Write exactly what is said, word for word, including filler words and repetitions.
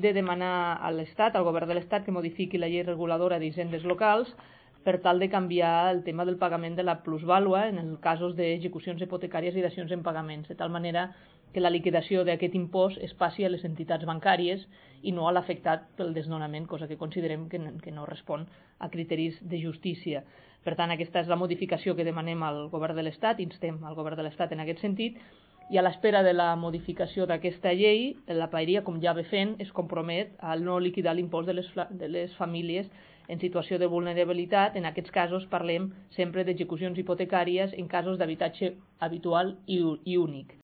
de demanar a l'Estat, al govern de l'Estat, que modifiqui la llei reguladora d'hisendes locals per tal de canviar el tema del pagament de la plusvàlua en els casos d'execucions hipotecàries i dacions en pagaments, de tal manera que la liquidació d'aquest impost es passi a les entitats bancàries i no a l'afectat pel desnonament, cosa que considerem que no, que no respon a criteris de justícia. Per tant, aquesta és la modificació que demanem al govern de l'Estat, instem al govern de l'Estat en aquest sentit, i a l'espera de la modificació d'aquesta llei, la Paeria, com ja ve fent, es compromet a no liquidar l'impost de les, de les famílies en situació de vulnerabilitat. En aquests casos parlem sempre d'execucions hipotecàries en casos d'habitatge habitual i, i únic.